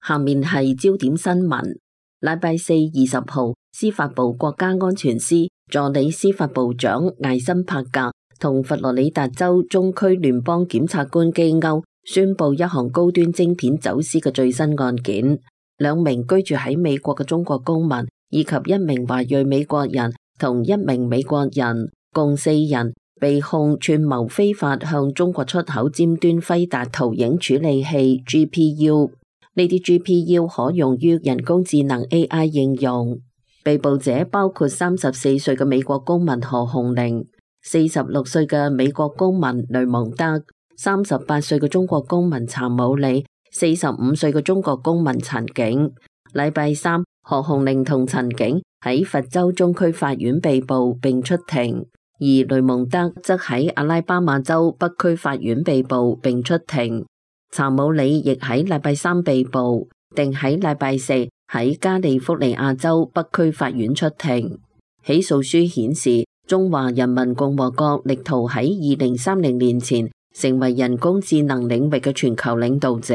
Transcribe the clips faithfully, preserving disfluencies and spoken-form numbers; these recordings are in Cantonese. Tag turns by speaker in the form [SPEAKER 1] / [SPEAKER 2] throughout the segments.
[SPEAKER 1] 下面係焦點新聞。禮拜四二十號，司法部國家安全司助理司法部長艾森帕格同佛羅里達州中區聯邦檢察官基歐宣布一項高端晶片走私嘅最新案件。兩名居住喺美國嘅中國公民以及一名華裔美國人同一名美國人，共四人被控串謀非法向中國出口尖端輝達圖影處理器 G P U。呢啲 G P U 可用於人工智能 A I 應用。被捕者包括三十四歲嘅美國公民何鴻齡、四十六歲嘅美國公民雷蒙德、三十八歲嘅中國公民查姆里、四十五歲嘅中國公民陳景。禮拜三，何鴻齡同陳景喺佛州中區法院被捕並出庭，而雷蒙德則喺阿拉巴馬州北區法院被捕並出庭。查姆里亦喺禮拜三被捕，定喺禮拜四喺加利福尼亞州北區法院出庭。起訴書顯示，中華人民共和國力圖喺二零三零年前成為人工智能領域嘅全球領導者，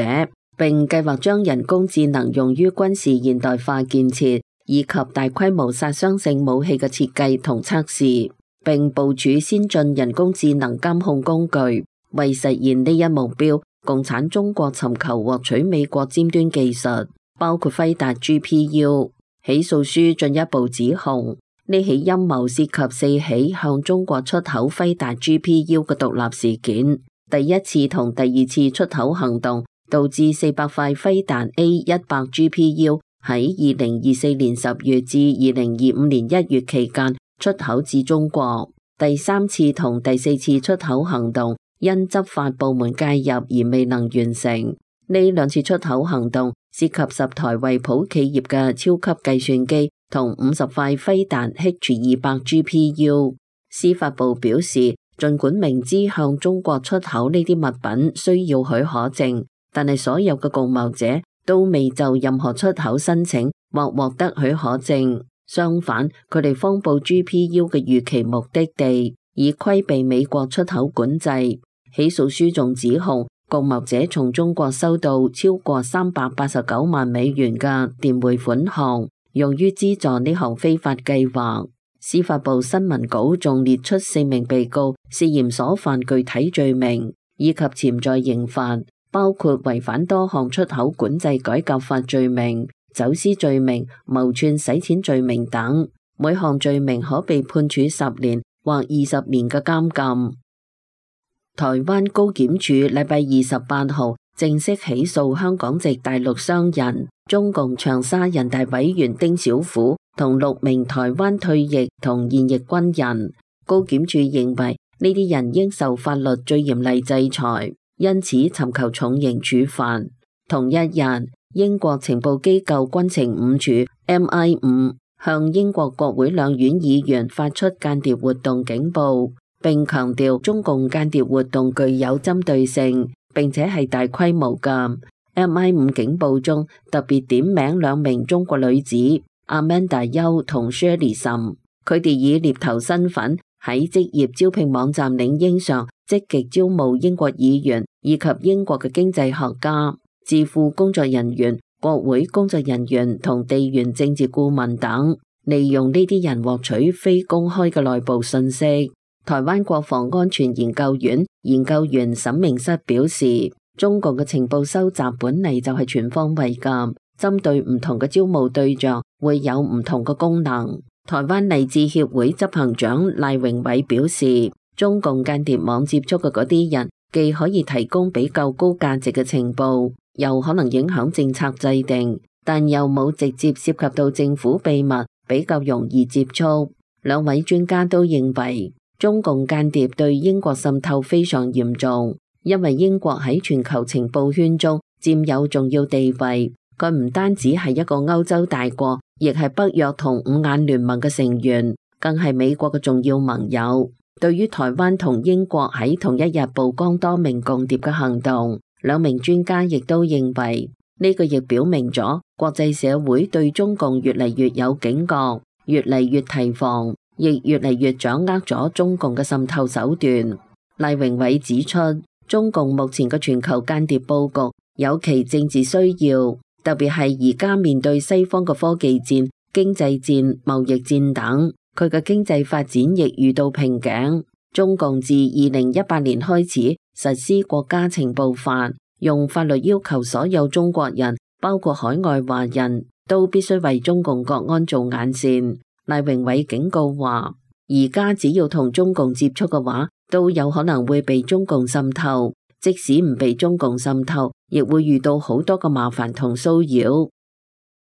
[SPEAKER 1] 並計劃將人工智能用於軍事現代化建設以及大規模殺傷性武器嘅設計同測試，並部署先進人工智能監控工具。為實現呢一目標，共產中國尋求獲取美國尖端技術，包括輝達 G P U。起訴書進一步指控，呢起陰謀涉及四起向中國出口輝達 G P U 嘅獨立事件。第一次同第二次出口行動導致四百塊輝達 A 一百 G P U 喺二零二四年十月至二零二五年一月期間出口至中國。第三次同第四次出口行動因執法部門介入而未能完成。呢兩次出口行動涉及十台惠普企業嘅超級計算機同五十塊輝達 H 二百 G P U。司法部表示，儘管明知向中國出口呢啲物品需要許可證，但係所有嘅共謀者都未就任何出口申請或獲得許可證。相反，佢哋謊報 G P U 嘅預期目的地，以規避美國出口管制。起訴書仲指控共謀者從中國收到超過三百八十九萬美元嘅電匯款項，用於資助呢項非法計劃。司法部新聞稿仲列出四名被告涉嫌所犯具體罪名以及潛在刑罰，包括違反多項出口管制改革法罪名、走私罪名、謀串洗錢罪名等。每項罪名可被判處十年或二十年嘅監禁。台灣高檢署禮拜二十八號正式起訴香港籍大陸商人、中共長沙人大委員丁小虎同六名台灣退役同現役軍人。高檢署認為呢啲人應受法律最嚴厲制裁，因此尋求重刑處罰。同一日，英國情報機構軍情五處 M I 五向英國國會兩院議員發出間諜活動警報，並強調中共間諜活動具有針對性，並且係大規模嘅。M I 五警報中特別點名兩名中國女子阿曼達邱同 Shirley 岑，佢哋以獵頭身份喺職業招聘網站領英上積極招募英國議員以及英國嘅經濟學家、智庫工作人員、國會工作人員同地緣政治顧問等，利用呢啲人獲取非公開嘅內部信息。台灣國防安全研究院研究員沈明室表示，中共嘅情報收集本嚟就係全方位㗎，針對唔同嘅招募對象會有唔同嘅功能。台灣勵志協會執行長賴榮偉表示，中共間諜網接觸嘅嗰啲人，既可以提供比較高價值嘅情報，又可能影響政策制定，但又冇直接涉及到政府秘密，比較容易接觸。兩位專家都認為，中共間諜對英國滲透非常嚴重，因為英國喺全球情報圈中佔有重要地位。佢唔單止係一個歐洲大國，亦係北約同五眼聯盟嘅成員，更係美國嘅重要盟友。對於台灣同英國喺同一日曝光多名共諜嘅行動，兩名專家亦都認為呢個亦表明咗國際社會對中共越嚟越有警覺，越嚟越提防，亦越嚟越掌握咗中共嘅滲透手段。賴榮偉指出，中共目前嘅全球間諜佈局有其政治需要，特別係而家面對西方嘅科技戰、經濟戰、貿易戰等，佢嘅經濟發展亦遇到瓶頸。中共自二零一八年開始實施國家情報法，用法律要求所有中國人，包括海外華人，都必須為中共國安做眼線。賴榮偉警告話，而家只要同中共接觸嘅話，都有可能會被中共滲透。即使唔被中共滲透，亦會遇到好多嘅麻煩同騷擾。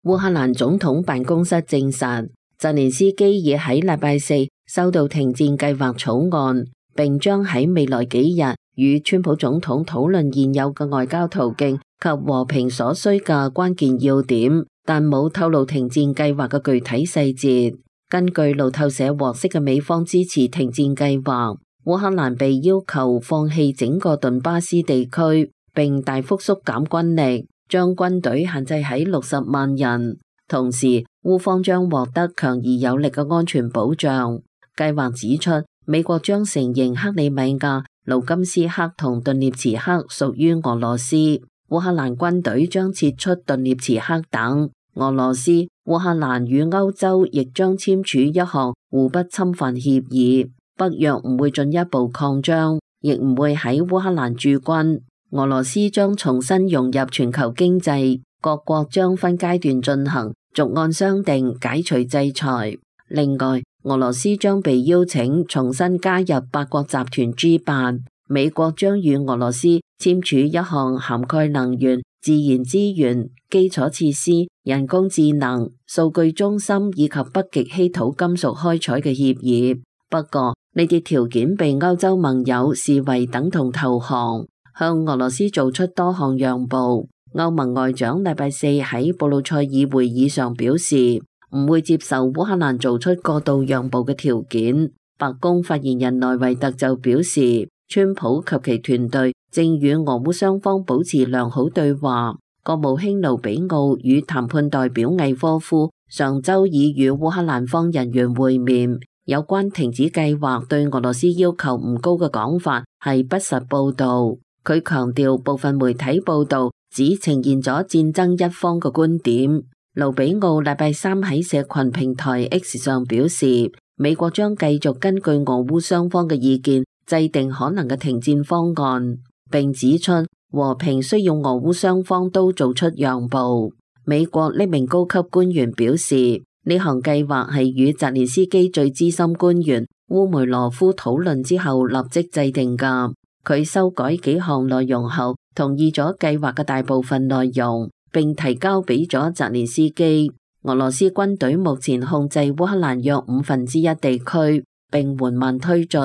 [SPEAKER 1] 烏克蘭總統辦公室證實，澤連斯基已喺禮拜四收到停戰計劃草案，並將喺未來幾日與川普總統討論現有嘅外交途徑及和平所需嘅關鍵要點，但冇透露停戰計劃嘅具體細節。根據路透社獲悉嘅美方支持停戰計劃，烏克蘭被要求放棄整個頓巴斯地區，並大幅縮減軍力，將軍隊限制喺六十萬人。同時，烏方將獲得強而有力嘅安全保障。計劃指出，美國將承認克里米亞、盧甘斯克同頓涅茨克屬於俄羅斯，烏克蘭軍隊將撤出頓涅茨克等。俄羅斯、烏克蘭與歐洲亦將簽署一項互不侵犯協議，北約唔會進一步擴張，亦唔會喺烏克蘭駐軍。俄羅斯將重新融入全球經濟，各國將分階段進行，逐案商定解除制裁。另外，俄羅斯將被邀請重新加入八國集團 G 八，美國將與俄羅斯簽署一項涵蓋能源、自然資源、基礎設施、人工智能、數據中心以及北極稀土金屬開採嘅協議。不過，呢啲條件被歐洲盟友視為等同投降，向俄羅斯做出多項讓步。歐盟外長禮拜四喺布魯塞爾會議上表示，唔會接受烏克蘭做出過度讓步嘅條件。白宮發言人內維特就表示，川普及其團隊正與俄烏雙方保持良好對話。國務卿盧比奧與談判代表魏科夫上週已與烏克蘭方人員會面，有關停止計劃對俄羅斯要求唔高嘅講法係不實報導。佢強調部分媒體報導只呈現咗戰爭一方嘅觀點。盧比奧禮拜三喺社群平台 X 上表示，美國將繼續根據俄烏雙方嘅意見制定可能嘅停戰方案，並指出和平需要俄烏雙方都做出讓步。美國呢名高級官員表示，呢項計劃係與澤連斯基最資深官員烏梅羅夫討論之後立即制定㗎。佢修改幾項內容後，同意咗計劃嘅大部分內容，並提交俾咗澤連斯基。俄羅斯軍隊目前控制烏克蘭約五分之一地區，並緩慢推進。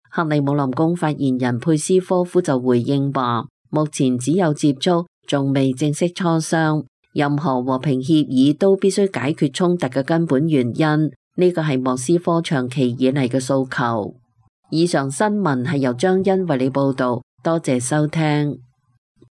[SPEAKER 1] 克里姆林宮發言人佩斯科夫就回應話，目前只有接觸，仲未正式磋商。任何和平協議都必須解決衝突嘅根本原因，呢個係莫斯科長期以嚟嘅訴求。以上新聞係由張欣為你報道，多謝收聽。